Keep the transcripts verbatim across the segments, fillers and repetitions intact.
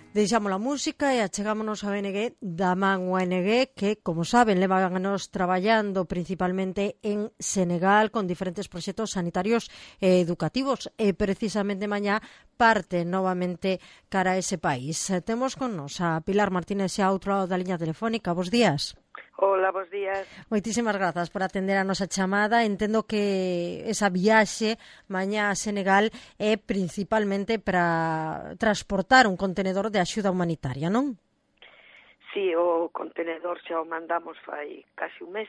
Deixamos a música e achegámonos a O N G da man O N G que, como saben, levan anos traballando principalmente en Senegal con diferentes proxectos sanitarios e educativos e precisamente mañá parte novamente cara a ese país. Temos con nos a Pilar Martínez xa outro lado da liña telefónica. Bos días. Hola, bos días. Moitísimas grazas por atender a nosa chamada. Entendo que esa viaxe mañá a Senegal é principalmente para transportar un contenedor de axuda humanitaria, non? Sí, o contenedor xa o mandamos fai casi un mes,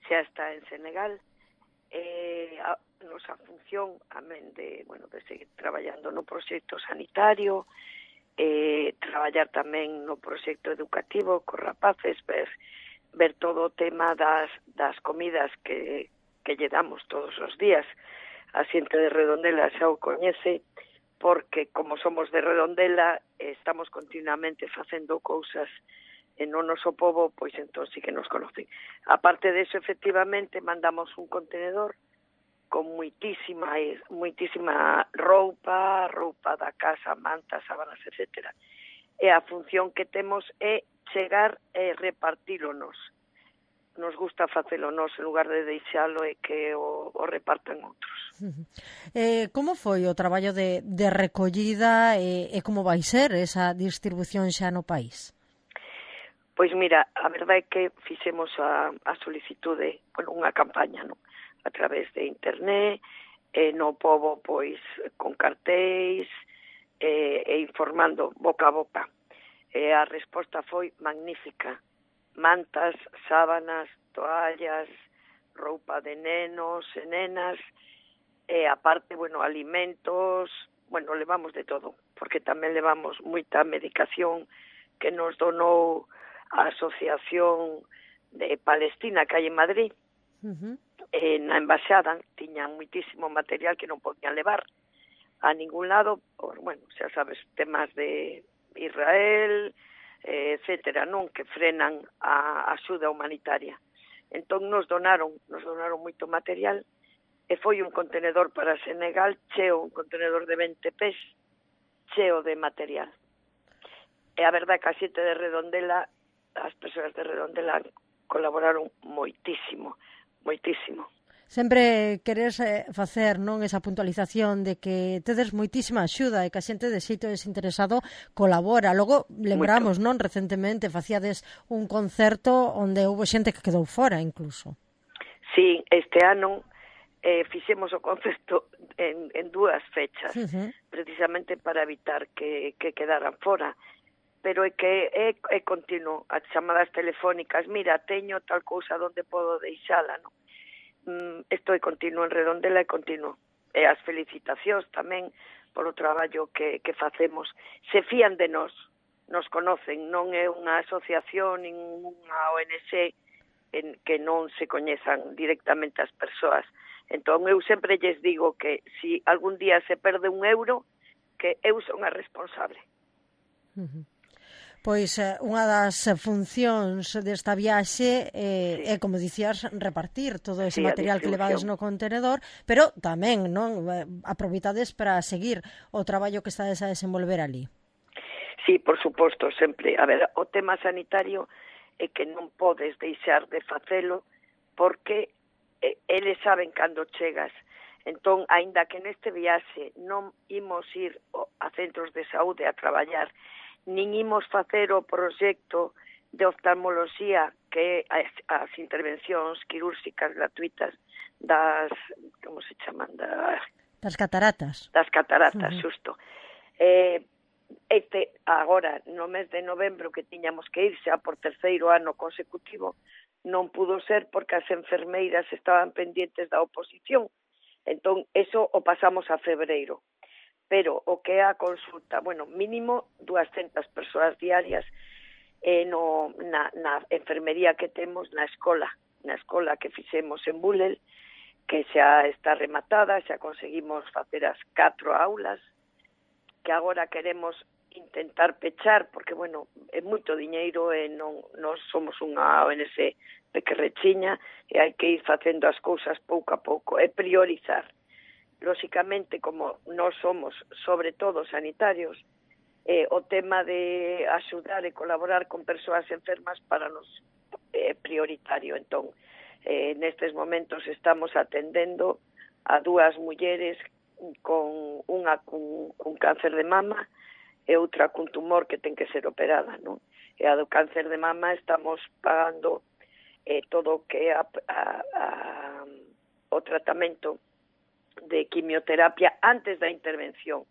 xa está en Senegal. Eh, a nosa función, amén de, bueno, de seguir traballando no proxecto sanitario, eh, traballar tamén no proxecto educativo cos rapaces, ver ver todo o tema das, das comidas que, que lle damos todos os días. A xente de Redondela xa o coñece, porque como somos de Redondela, estamos continuamente facendo cousas en o noso pobo, pois entón sí que nos conocen. A parte de eso, efectivamente, mandamos un contenedor con moitísima, moitísima roupa, roupa da casa, mantas, sábanas, etcétera. E a función que temos é chegar e repartílonos. Nos gusta facelo nos en lugar de deixalo e que o, o repartan outros. Eh, como foi o traballo de, de recollida e, e como vai ser esa distribución xa no país? Pois mira, a verdade é que fixemos a, a solicitude, bueno, unha campaña, non? A través de internet, e no pobo, pois, con cartéis, e, e informando boca a boca. E a resposta foi magnífica. Mantas, sábanas, toallas, roupa de nenos e nenas, e aparte, bueno, alimentos, bueno, levamos de todo, porque tamén levamos moita medicación que nos donou a Asociación de Palestina que hai en Madrid. Uh-huh. E na embaixada tiñan moitísimo material que non podían levar a ningún lado, por, bueno, xa sabes, temas de Israel, eh, etcétera, non, que frenan a axuda humanitaria. Entón nos donaron, nos donaron moito material e foi un contenedor para Senegal cheo, un contenedor de vinte pés cheo de material. E a verdade que a xente de Redondela, as persoas de Redondela colaboraron moitísimo, moitísimo. Sempre queres eh, facer, non, esa puntualización de que tedes moitísima axuda e que a xente de xeito desinteresado colabora. Logo, lembramos, Moito. non, recentemente facíades un concerto onde houve xente que quedou fora, incluso. Sí, este ano eh, fixemos o concerto en, en dúas fechas, uh-huh. precisamente para evitar que, que quedaran fora. Pero é que é, é continuo, as chamadas telefónicas, mira, teño tal cousa onde podo deixala, non? Isto é continuo en Redondela e continuo. E as felicitacións tamén polo traballo que, que facemos. Se fían de nós, nos conocen, non é unha asociación, nin unha O N G en que non se coñezan directamente as persoas. Entón eu sempre lles digo que se si algún día se perde un euro, que eu son a responsable. Uh-huh. Pois unha das funcións desta viaxe é, sí. é, como dicías, repartir todo ese sí, material que levades no contenedor, pero tamén, non, aproveitades para seguir o traballo que estades a desenvolver ali. Sí, por suposto, sempre. A ver, o tema sanitario é que non podes deixar de facelo porque eles saben cando chegas. Entón, aínda que neste viaxe non imos ir a centros de saúde a traballar, nin imos facer o proxecto de oftalmoloxía que é as, as intervencións quirúrxicas gratuitas das, como se chaman? Da, das cataratas. Das cataratas, uh-huh. Xusto. Eh, este, agora, no mes de novembro que tiñamos que ir xa por terceiro ano consecutivo, non pudo ser porque as enfermeiras estaban pendientes da oposición. Entón, eso o pasamos a febreiro. Pero o que é a consulta, bueno, mínimo dúascentas persoas diarias eh, no, na, na enfermería que temos na escola, na escola que fixemos en Bulel, que xa está rematada, xa conseguimos facer as catro aulas, que agora queremos intentar pechar, porque, bueno, é moito diñeiro e non, non somos unha O N G pequerrechiña e hai que ir facendo as cousas pouco a pouco e priorizar. Lóxicamente, como nós somos, sobre todo, sanitarios, eh, o tema de axudar e colaborar con persoas enfermas para nos é eh, prioritario. Entón, eh, nestes momentos estamos atendendo a dúas mulleres con unha con, con cáncer de mama e outra cun tumor que ten que ser operada, non? E a do cáncer de mama estamos pagando eh, todo o que é a, a, a, o tratamento de quimioterapia antes da intervención.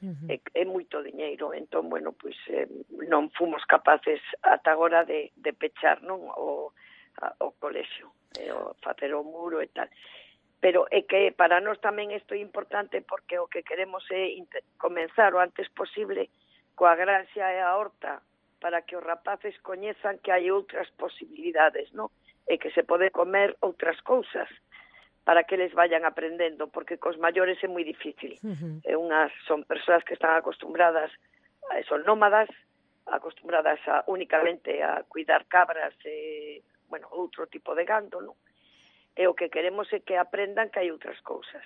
Uh-huh. É, é moito diñeiro, entón, bueno, pois eh, non fomos capaces ata agora de, de pechar, non, o, a, o colexio, eh, o facer o muro e tal. Pero é que para nós tamén isto é importante porque o que queremos é comenzar o antes posible coa graxa e a horta para que os rapaces coñezan que hai outras posibilidades, non? E que se pode comer outras cousas para que eles vayan aprendendo, porque cos maiores é moi difícil. Uh-huh. É unhas, son persoas que están acostumbradas, son nómadas, acostumbradas a, únicamente a cuidar cabras e, bueno, outro tipo de gando, non? E o que queremos é que aprendan que hai outras cousas.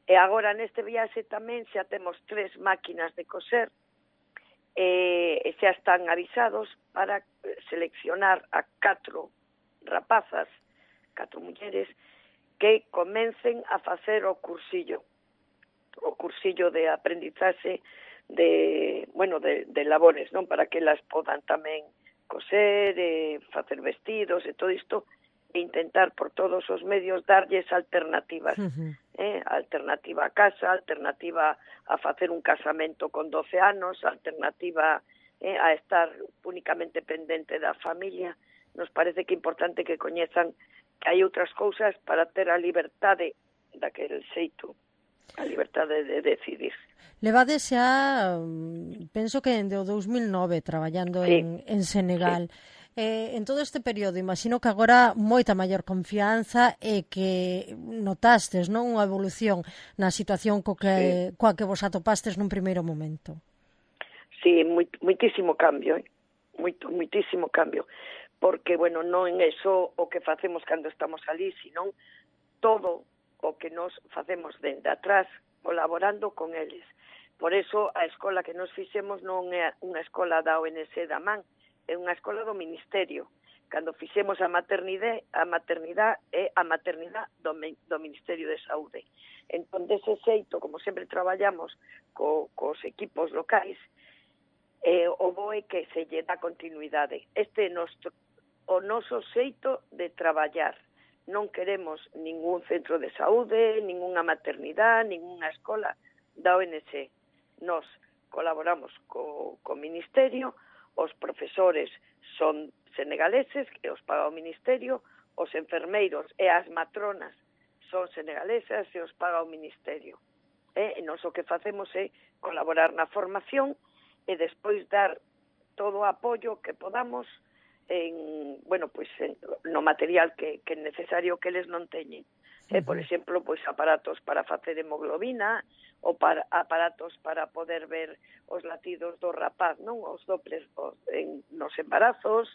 E agora neste viaxe tamén xa temos tres máquinas de coser e, e xa están avisados para seleccionar a catro rapazas, catro mulleres, que comencen a facer o cursillo, o cursillo de aprendizaxe de, bueno, de, de labores, non? Para que elas podan tamén coser, e facer vestidos e todo isto, e intentar por todos os medios darlles alternativas, uh-huh. eh? Alternativa a casa, alternativa a facer un casamento con doce anos, alternativa eh, a estar únicamente pendente da familia. Nos parece que é importante que coñezan que hai outras cousas para ter a liberdade daquele xeito, a liberdade de decidir. Levades xa, penso que dende o dous mil nove traballando sí. en, en Senegal. Sí. Eh, en todo este período, imagino que agora moita maior confianza e que notastes, non, unha evolución na situación co que, sí. coa que vos atopastes nun primeiro momento. Sí, moit, moitísimo cambio, eh? Moito, moitísimo cambio. Porque, bueno, non é só o que facemos cando estamos ali, sino todo o que nos facemos dende atrás, colaborando con eles. Por eso, a escola que nos fixemos non é unha escola da O N G da Man, é unha escola do Ministerio. Cando fixemos a maternidade, a maternidade é a maternidade do, do Ministerio de Saúde. Entón, dese xeito, como sempre traballamos co, cos equipos locais, eh, o bo é que se lle dá continuidade. Este é noso o noso xeito de traballar. Non queremos ningún centro de saúde, ningunha maternidade, ningunha escola da O N G. Nos colaboramos co, co Ministerio, os profesores son senegaleses, que os paga o Ministerio, os enfermeiros e as matronas son senegalesas e os paga o Ministerio. E nos o que facemos é colaborar na formación e despois dar todo o apoio que podamos en, bueno, pois en, no material que, que é necesario que eles non teñen. Uh-huh. Eh, por exemplo, pois aparatos para facer hemoglobina ou para aparatos para poder ver os latidos do rapaz, non? Os doppler os, en, nos embarazos.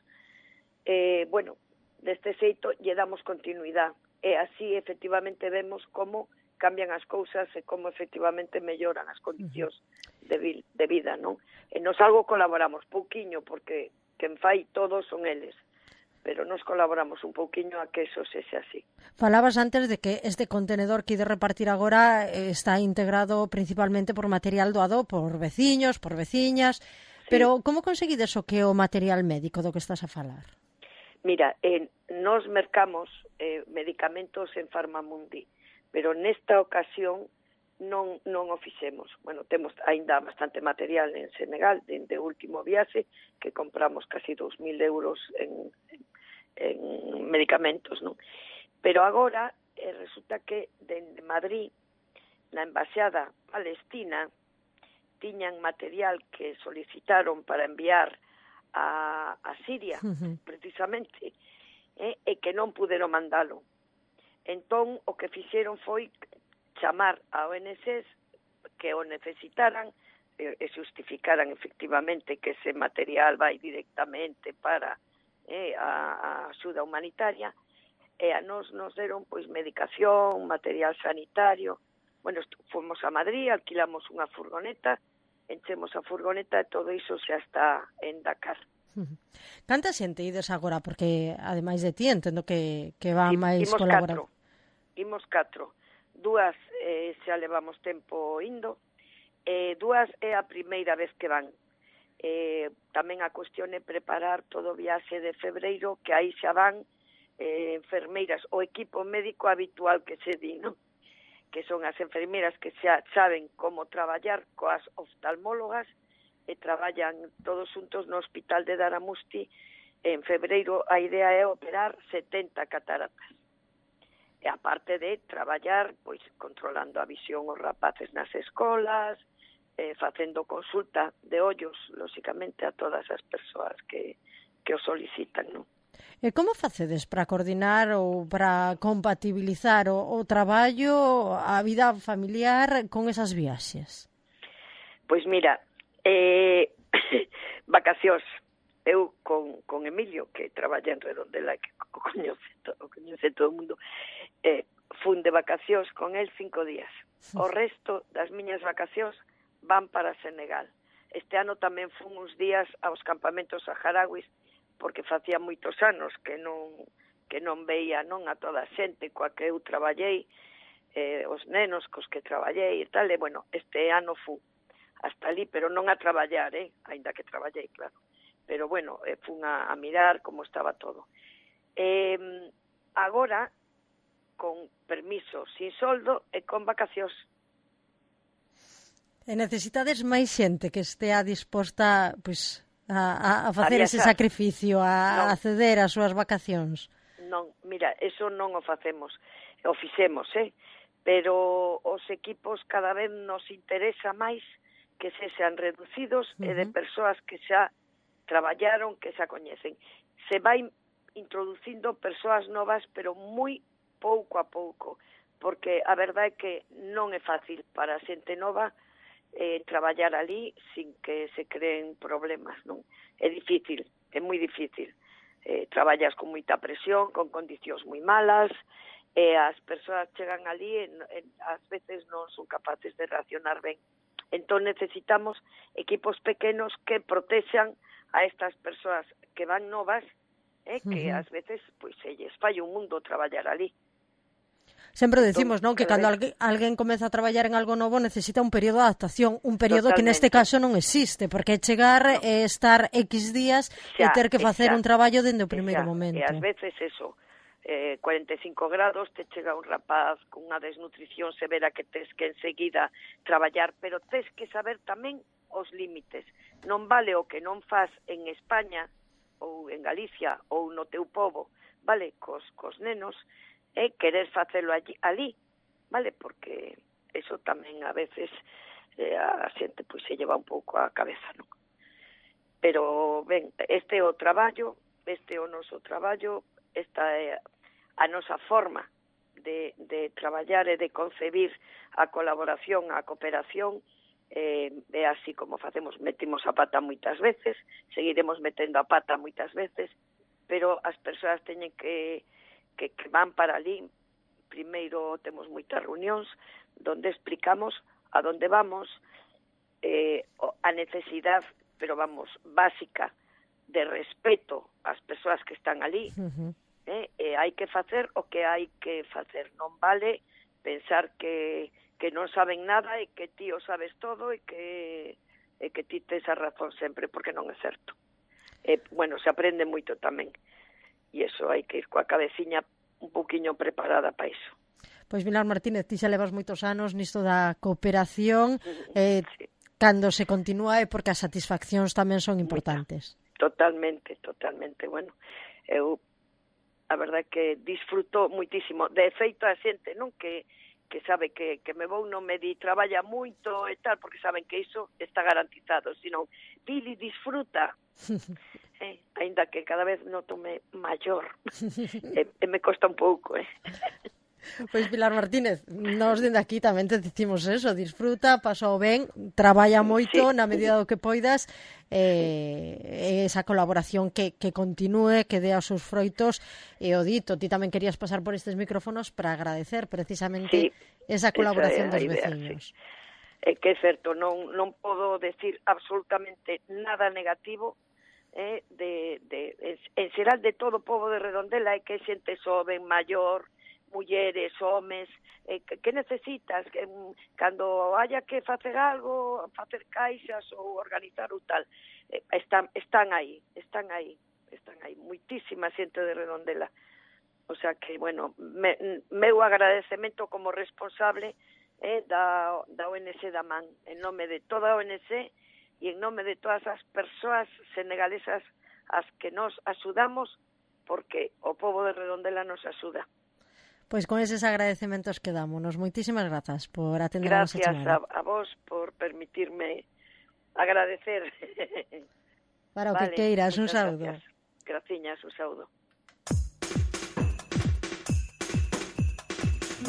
Eh, bueno, deste xeito lle damos continuidade e así efectivamente vemos como cambian as cousas e como efectivamente melloran as condicións uh-huh. de, vi, de vida, non? E nos algo colaboramos pouquiño porque quen fai todos son eles, pero nos colaboramos un pouquiño a que eso sexa así. Falabas antes de que este contenedor que ide repartir agora está integrado principalmente por material doado por veciños, por veciñas, sí. Pero como conseguides o que o material médico do que estás a falar? Mira, eh, nos mercamos eh, medicamentos en Farmamundi, pero nesta ocasión non non o fixemos. Bueno, temos aínda bastante material en Senegal, dende o último viaxe, que compramos casi dous mil euros en, en, en medicamentos, non? Pero agora eh, resulta que dende Madrid, na embaixada palestina, tiñan material que solicitaron para enviar a, a Siria, uh-huh. precisamente, eh, e que non puderon mandalo. Entón, o que fixeron foi chamar a O N Gs que o necesitaran e justificaran efectivamente que ese material vai directamente para eh, a, a axuda humanitaria e a nos nos deron pois medicación, material sanitario. Bueno, fomos a Madrid, alquilamos unha furgoneta enchemos a furgoneta e todo iso xa está en Dakar. Canta xente ides agora? Porque, ademais de ti, entendo que, que van I, máis imos colaborar. catro, imos catro. Dúas eh, xa levamos tempo indo, eh, dúas é a primeira vez que van. Eh, tamén a cuestión é preparar todo o viaxe de febreiro, que aí xa van eh, enfermeiras, o equipo médico habitual que se di, non? Que son as enfermeiras que xa saben como traballar coas oftalmólogas e traballan todos xuntos no hospital de Daramusti. En febreiro a idea é operar setenta cataratas. E aparte de traballar, pois, controlando a visión os rapaces nas escolas, eh, facendo consulta de ollos, lóxicamente, a todas as persoas que, que o solicitan, non? E como facedes para coordinar ou para compatibilizar o, o traballo, a vida familiar con esas viaxes? Pois mira, eh, vacacións. Eu con, con Emilio, que traballa en Redondela, que o coñece todo, o coñece todo o mundo, eh, fun de vacacións con el cinco días. O resto das miñas vacacións van para Senegal. Este ano tamén fun uns días aos campamentos saharauis, porque facía moitos anos que non que non veía non a toda a xente coa que eu traballei, eh, os nenos cos que traballei e tal, e bueno, este ano fun hasta ali, pero non a traballar, eh, aínda que traballei, claro. Pero bueno, eh, fun a, a mirar como estaba todo. Eh, agora, con permiso, sin soldo e con vacacións. E necesitades máis xente que estea disposta, pois, a, a facer a ese sacrificio, a, non. a ceder as súas vacacións? Non, mira, eso non o facemos, o fixemos, eh? Pero os equipos cada vez nos interesa máis que se sean reducidos uh-huh. e de persoas que xa traballaron, que xa coñecen. Se vai introducindo persoas novas, pero moi pouco a pouco, porque a verdade é que non é fácil para a xente nova eh, traballar ali sin que se creen problemas, non? É difícil, é moi difícil. Eh, traballas con moita presión, con condicións moi malas, e as persoas chegan ali e, e ás veces non son capaces de reaccionar ben. Entón necesitamos equipos pequenos que protexan a estas persoas que van novas, eh, que uh-huh. ás veces pois se lles falla un mundo traballar ali. Sempre decimos, entón, non, que cando alguén, alguén comeza a traballar en algo novo necesita un período de adaptación, un período Totalmente. Que neste caso non existe, porque é chegar no. e estar X días xa, e ter que facer xa, un traballo dende o primeiro xa, momento. E ás veces eso, eh, cuarenta e cinco grados, te chega un rapaz con unha desnutrición severa que tes que enseguida traballar, pero tes que saber tamén os límites. Non vale o que non faz en España ou en Galicia ou no teu pobo, vale, cos, cos nenos, é querer facelo allí, ali, vale, porque eso tamén a veces eh, a xente pois se lleva un pouco a cabeza, non? Pero, ben, este é o traballo, este é o noso traballo, esta é a nosa forma de, de traballar e de concebir a colaboración, a cooperación, eh, é así como facemos, metimos a pata moitas veces, seguiremos metendo a pata moitas veces, pero as persoas teñen que Que, que van para ali. Primeiro temos moitas reunións donde explicamos a donde vamos, eh, a necesidade, pero vamos, básica de respeto ás persoas que están ali. Uh-huh. eh, e hai que facer o que hai que facer. Non vale pensar que, que non saben nada e que ti o sabes todo e que, e que ti tes a razón sempre, porque non é certo. Eh, bueno, se aprende moito tamén. E iso hai que ir coa cabeciña un pouquiño preparada para iso. Pois Pilar Martínez, ti xa levas moitos anos nisto da cooperación, eh, sí. Cando se continúa é porque as satisfaccións tamén son importantes. Totalmente, totalmente. Bueno, eu a verdade que disfruto moitísimo. De feito a xente, non, que que sabe que, que me vou non me di traballa moito e tal, porque saben que iso está garantizado, sino Pili, disfruta. Eh, ainda que cada vez notome maior e, e me costa un pouco, eh. Pois Pilar Martínez, nós dende aquí tamén te dicimos eso, disfruta, pasou ben, traballa moito sí. na medida do que poidas, eh, esa colaboración que, que continúe, que dé os seus froitos, e o dito, ti tamén querías pasar por estes micrófonos para agradecer precisamente sí, esa colaboración dos idea, veciños. Sí. é que é certo, non, non podo decir absolutamente nada negativo eh, de, de, en xeral de todo o pobo de Redondela, é que xente xoven, maior, mulleres, homes, eh, que, que necesitas, que, cando haya que facer algo, facer caixas ou organizar ou tal, eh, están, están aí, están aí, están aí, muitísima xente de Redondela. O sea que, bueno, me, meu agradecemento como responsable eh, da, da O N G da Man, en nome de toda a O N G e en nome de todas as persoas senegalesas as que nos axudamos, porque o pobo de Redondela nos axuda. Pois con eses agradecementos quedámonos. Moitísimas grazas por atender a nosa chamada. Gracias a, a vos por permitirme agradecer. Para o Vale, que queiras, un saúdo. Gracias. Graciñas, un saúdo.